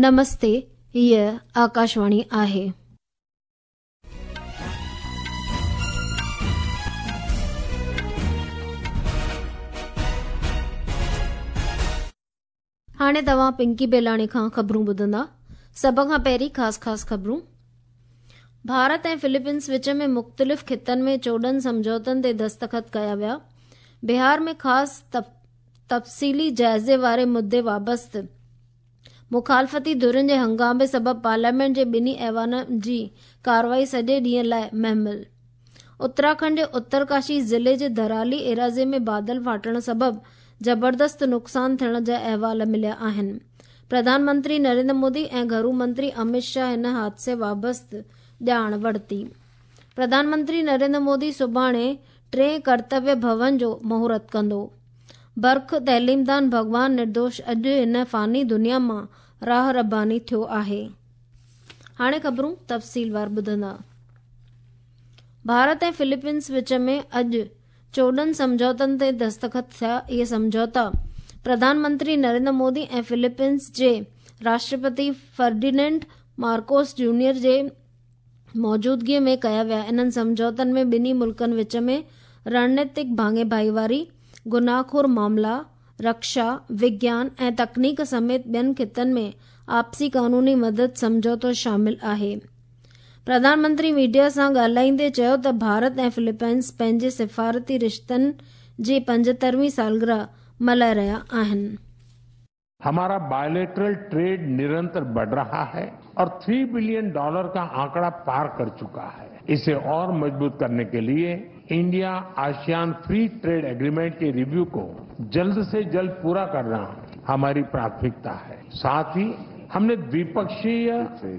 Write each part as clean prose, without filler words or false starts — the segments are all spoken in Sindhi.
نمستي، هيء آڪاشواڻي آهي. هاڻي توهان پنڪي بيلاڻي کان خبرون ٻڌندا. سڀ کان پهرين خاص خاص خبرون. ڀارت ۽ فلپينس وچ ۾ مختلف خطن ۾ 14 سمجهوتن تي دستخط ڪيا ويا. بهار ۾ خاص تفصيلي جائزي واري مدي وابسته مخالفتي ڌرين جي هنگامي سبب پارليامينٽ جي ٻنهي ايوانن جي ڪارروائي سڄي ڏينهن لاء مهمل. اتراکنڊ جي اترڪاشي ضلعي جي ڌرالي ايراضي ۾ بادل ڦاٽڻ سبب زبردست نقصان ٿيڻ جا احوال مليا آهن. پرڌان منتري نريندر مودي ۽ گهرو منتري امت شاهه هن حادثي وابسته ڄاڻ ورتي. پرڌان منتري نريندر مودي سڀاڻي ٽئين ڪرتويه ڀون جو مهورت ڪندو. برک تعليمدان ڀڳوان نردوش اڄ هن فاني دنيا مان راهه رباني ٿيو آهي. هاڻي خبرون تفصيلوار ٻڌندا. ڀارت ۽ فلپينس وچ ۾ اڄ 14 سمجهوتن تي دستخط ٿيا. اهي سمجهوتا پرڌان منتري نريندر مودي ۽ فلپينس جي راشٽرپتي فرڊيننڊ مارڪوس جونيئر جي موجودگي ۾ ڪيا ويا. انهن سمجهوتن ۾ ٻنهي ملڪن وچ ۾ رڻنيتڪ ڀاڱي ڀائيواري، گناهخور معاملا، رڪشا، وگيان ۽ تڪنيڪ سميت ٻين خطن ۾ آپسي قانوني مدد سمجهوتو شامل آهي. پرڌان منتري ميڊيا سان ڳالهائيندي چيو ته ڀارت ۽ فلپائنس پنهنجي سفارتي رشتن جي 75 هين سالگرهه ملهائي رهيا آهن. हमारा बायलैटरल ट्रेड निरंतर बढ़ रहा है और 3 बिलियन डॉलर का आंकड़ा पार कर चुका है। इसे और मजबूत करने के लिए India ASEAN free trade agreement के रिव्यू को जल्द से जल्द पूरा करना हमारी प्राथमिकता है। साथ ही हमने द्विपक्षीय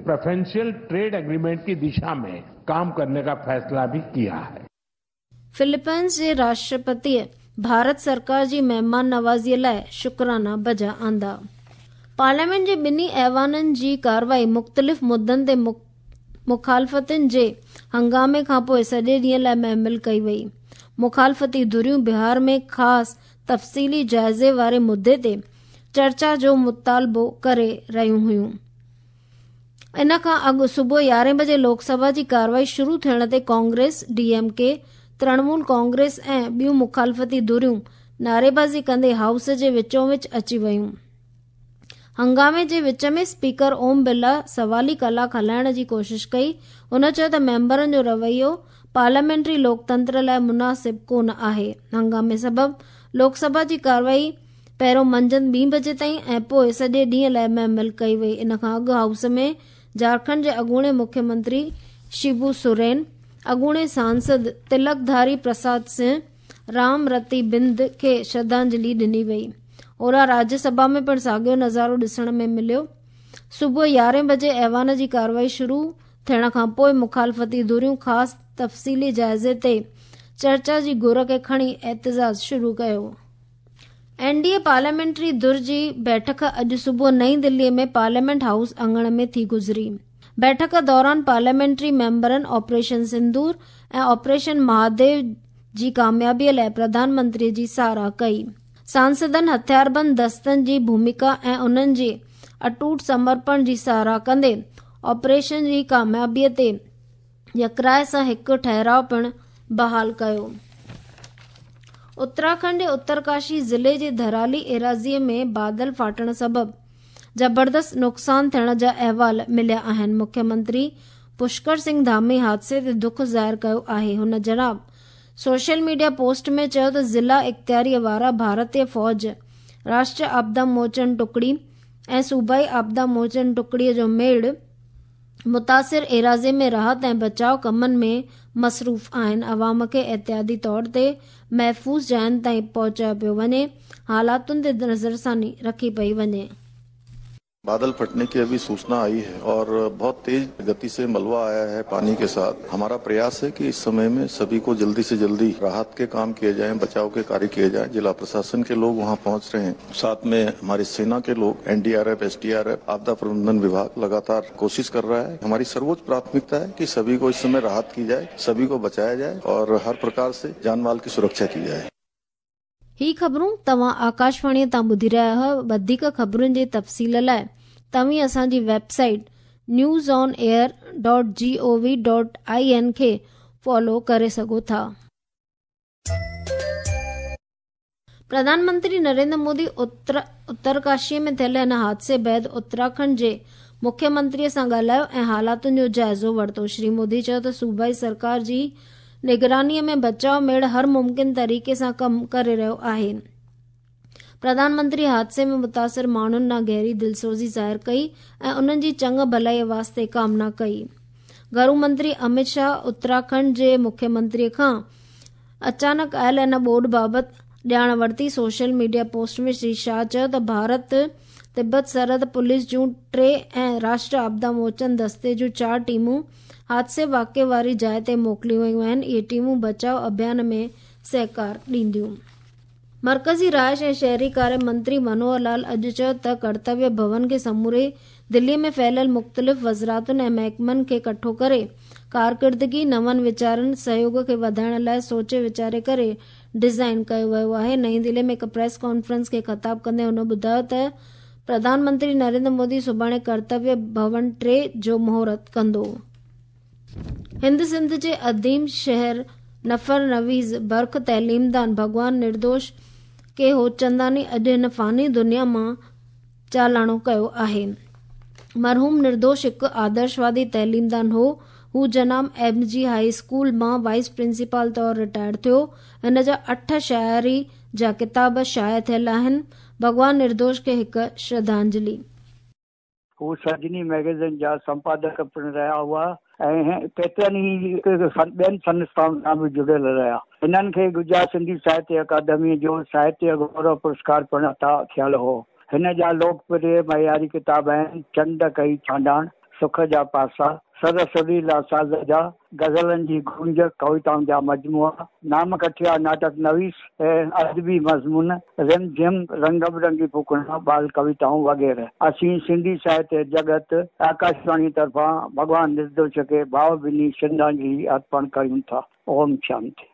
प्रेफरेंशियल ट्रेड एग्रीमेंट की दिशा में काम करने का फैसला भी किया है। فلپائنس جي راشٽرپتيء ڀارت سرڪار جي مهمان نوازيء لاء شڪرانا بجا آندا. پارليامينٽ جي ٻنهي ايوانن جي ڪارروائي مختلف مدن تي مخالفتن جي هنگامي کانپوء سڄي ڏينهن لاء مهمل ڪئي وئي. مخالفتي ڌريون بهار ۾ خاص تفصيلي جائزي واري مدي تي چرچا جو مطالبو ڪري رهيون هيون. ان کان اڳ صبح 11 بجي لوڪ سڀا جي ڪارروائي شروع ٿيڻ تي Congress, D M K, Trinamool Congress ۽ ٻيون مخالفتي ڌريون نعريبازي ڪندي هائوس جي وچون وچ اچي ويون. هنگامي جي وچ ۾ اسپيڪر اوم برلا سوالي ڪلاڪ هلائڻ جي ڪوشش ڪئي. هن چيو ته ميمبرن جو رويو پارليامينٽري لوڪتنتر لاء مناسب ڪونه آهي. هنگامي سبب لوڪ سڀا جي ڪارروائي پهريون منجهند ٻين بجي تائين ۽ پوء سڄي ڏينهن لاء مهمل ڪئي وئي. ان کان اڳ هائوس ۾ جهارکنڊ جي اڳوڻي مکيه منتري شيبو سورين، اڳوڻي سانسد تلڪ ڌاري پرساد سنگهه، رام رتي بند کي شرڌانجلي ڏني وئي. هوڏانهن راجيه سڀا ۾ پڻ ساڳيو نظارو ڏسڻ ۾ مليو. صبح 11 بجي ايوان جي ڪارروائي شروع ٿيڻ کان پوء مخالفتي ڌريون خاص تفصيلي جائزي تي چرچا جي گهر کي کڻي احتجاج شروع ڪيو. اين ڊي اي پارليامينٽري ڌر جي بيٺڪ اڄ صبح نئين دهلي ۾ پارليامينٽ هائوس اڱڻ ۾ ٿي گذري. بيٺڪ دوران پارليامينٽري ميمبرن آپريشن سندور ۽ آپريشن مهاديو جي ڪاميابي لاء پرڌان منتري جي ساراهه ڪئي. سانسدن هٿياربند دستن جي ڀوميڪا ۽ انهن جي اٽوٽ سمرپڻ جي ساراهه ڪندي آپريشن جي ڪاميابي تي يڪراء سان هڪ ٺهراء پڻ بحال ڪيو. اتراکنڊ جي اترڪاشي ضلعي جي ڌرالي ايراضي ۾ بادل ڦاٽڻ سبب زبردست نقصان ٿيڻ جا احوال مليا آهن. مکيه منتري پشڪر سنگهه ڌامي حادثي تي دک ظاهر ڪيو آهي. هن جناب سوشل ميڊيا پوسٽ ۾ چيو ته ضلع اختياريء وارا ڀارتي فوج، راشٽريه آپدا موچن ٽڪڙي ۽ صوبائي آپدا موچن ٽڪڙي جو ميڙ متاثر ايراضي ۾ راحت ۽ بچاء ڪمن ۾ مصروف آهن. عوام کي احتياطي طور تي محفوظ جاين تائين پهچايو پيو وڃي، حالاتن تي نظرثاني رکي پئي وڃي. बादल फटने की अभी सूचना आई है और बहुत तेज गति से मलबा आया है पानी के साथ। हमारा प्रयास है कि इस समय में सभी को जल्दी से जल्दी राहत के काम किए जाएं, बचाव के कार्य किए जाएं। जिला प्रशासन के लोग वहां पहुंच रहे हैं, साथ में हमारी सेना के लोग, एनडीआरएफ, एसडीआरएफ, आपदा प्रबंधन विभाग लगातार कोशिश कर रहा है। हमारी सर्वोच्च प्राथमिकता है कि सभी को इस समय राहत की जाए, सभी को बचाया जाए और हर प्रकार से जान माल की सुरक्षा की जाए। هي خبرون توهان آڪاشواڻيء تان ٻڌي رهيا آهيو. وڌيڪ خبرن جي تفصيل لاء توهين اسان جي website news on air dot G O V dot I N کي فالو ڪري سگهو ٿا. پرڌان منتري نريندر مودي اترڪاشي ۾ ٿيل هن حادثي بعد اتراکنڊ جي مکيه منتري سان ڳالهايو ۽ حالاتن جو جائزو ورتو. شري مودي چيو ته صوبائي سرڪار جي نگراني ۾ بچاء ميڙ هر ممڪن طريقي سان ڪم ڪري رهيو آهي. پرڌان منتري حادثي ۾ متاثر ماڻهن ڏانهن گهري دلسوزي ظاهر ڪئي ۽ انهن جي چڱ ڀلائي واسطي ڪامنا ڪئي. گهرو منتري امت شاهه اتراکنڊ جي مکيه منتري کان اچانڪ آيل ان ٻوڏ بابت ڄاڻ ورتي. Social media post ۾ Shri Shah چيو ته ڀارت تبت سرحد پوليس جون 3 ۽ راشٽر آپدا موچن دستي جون 4 ٽيمون حادثي واقعي واري جاء تي موڪليون ويون آهن. اهي ٽيمون بچاء اڀيان ۾ سهڪار ڏينديون. مرڪزي رهائش ۽ شهري ڪاري منتري منوهر لال اڄ چيو ته ڪرتويه ڀون کي سموري دلي ۾ ڦهليل مختلف وزارتن ۽ محڪمن کي ڪٺو ڪري ڪارڪردگي، نون ويچارن، سهيوڳ کي وڌائڻ لاء سوچي ويچاري ڪري ڊزائين ڪيو ويو آهي. نئين دلي ۾ هڪ پريس ڪانفرنس کي خطاب ڪندي هن ٻڌايو ته پرڌان منتري نريندر مودي سڀاڻي ڪرتويه ڀون 3 جو مهورت ڪندو. هند سنڌ جي عظيم شهر نفر نويز برک تعليمدان ڀڳوان نردوش ڪي هوتچنداني اڄ هن فاني دنيا مان چالاڻو ڪيو آهي. مرحوم نردوش هڪ آدرشوادي تعليمدان هو. هو جناب ايم جي هائي اسڪول مان وائيس پرنسپال طور رٽائر ٿيو. هن جا 8 شاعري جا ڪتاب شايع ٿيل آهن. ڀڳوان نردوش کي هڪ شرڌانجلي. هو سرجني مئگزين جا سمپادڪ پڻ رهيا هئا ۽ ڪيترن ئي ٻين سنسٿائن سان به جڙيل رهيا. هنن کي گجرات سنڌي ساهتيه اڪادميء جو ساهتيه گورو پرسڪار پڻ عطا ٿيل هو. هن جا لوڪ پريه معياري ڪتاب آهن، چنڊ ڪئي ڇانڊاڻ، سک جا پاسا، سر سريلا ساز جا، غزلن جي گونج، ڪويتائن جا مجموعا، نام ڪٺيا ناٽڪ نويس ۽ ادبي مضمون، رم جھم، رنگ برنگي ڦوڪڻا، ٻال ڪويتائون وغيره. اسين سنڌي ساهتيه جڳت آڪاشواڻي طرفان ڀڳوان نردوش کي ڀاو ڀيني شرڌانجلي ارپڻ ڪريون ٿا. اوم شانتي.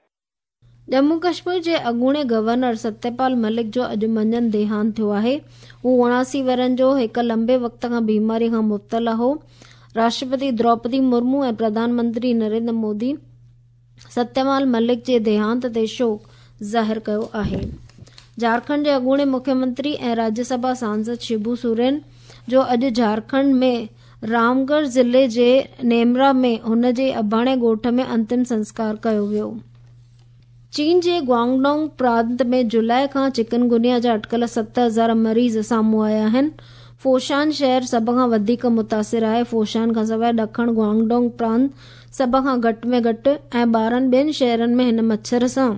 ڄمون ڪشمير جي اڳوڻي گورنر ستيپال ملڪ جو اڄ منجهند ديهانت ٿيو آهي. هو 79 ورهين جو هڪ لمبي وقت کان بيماري کان مبتلا هو. راشٽرپتي دروپدي مرمو ۽ پرڌان منتري نريندر مودي ستيپال ملڪ جي ديهانت تي شوڪ ظاهر ڪيو آهي. جهارکنڊ جي اڳوڻي مکيه منتري ۽ راجيه سڀا سانسد شبو سورين جو اڄ جهارکنڊ ۾ رامڳڙهه ضلعي جي نيمرا ۾ هن جي اباڻي ڳوٺ ۾ انتم سنسڪار ڪيو ويو. چين جي گوانگڊونگ پرانت ۾ جولاء کان چڪنگونيا جا اٽڪل 7000 مريض سامهون آيا آهن. فوشان شهر سڀ کان وڌيڪ متاثر آهي. فوشان کانسواء ڏکڻ گوانگڊونگ پرانت سڀ کان گهٽ ۾ گهٽ ۽ 12 ٻين شهرن ۾ هن مڇر سان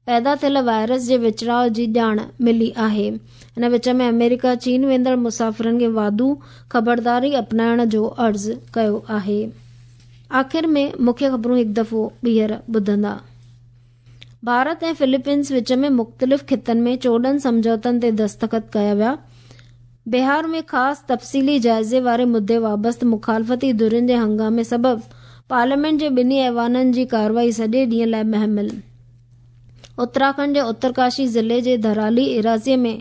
پيدا ٿيل وائرس جي وچڙاء جي ڄاڻ ملي آهي. هن وچ ۾ آمريڪا چين ويندڙ مسافرن کي واڌو خبرداري اپنائڻ جو عرض ڪيو آهي. آخر ۾ مکيه خبرون هڪ دفعو ٻيهر ٻڌندا. ڀارت ۽ فلپينز وچ ۾ مختلف خطن ۾ 14 سمجهوتن تي دستخط ڪيا ويا. بهار ۾ خاص تفصيلي جائزي واري مدي وابسته مخالفتي ڌرين جي هنگامي سبب پارليامينٽ جي ٻنهي ايوانن جي ڪارروائي سڄي ڏينهن لاء مهمل. اتراکنڊ جي اترڪاشي ضلعي جي ڌرالي ايراضي ۾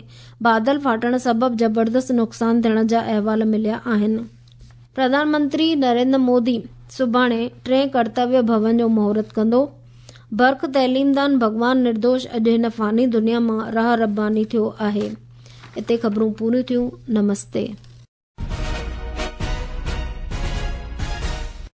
بادل ڦاٽڻ سبب زبردست نقصان ٿيڻ جا احوال مليا آهن. پرڌان منتري نريندر مودي سڀاڻي ٽئين ڪرتويه ڀون جو مهورت ڪندو. برک تعليمدان ڀڳوان نردوش اڄ هن فاني دنيا مان راهه رباني ٿيو آهي. اتي خبرون پوريون ٿيون. نمستي.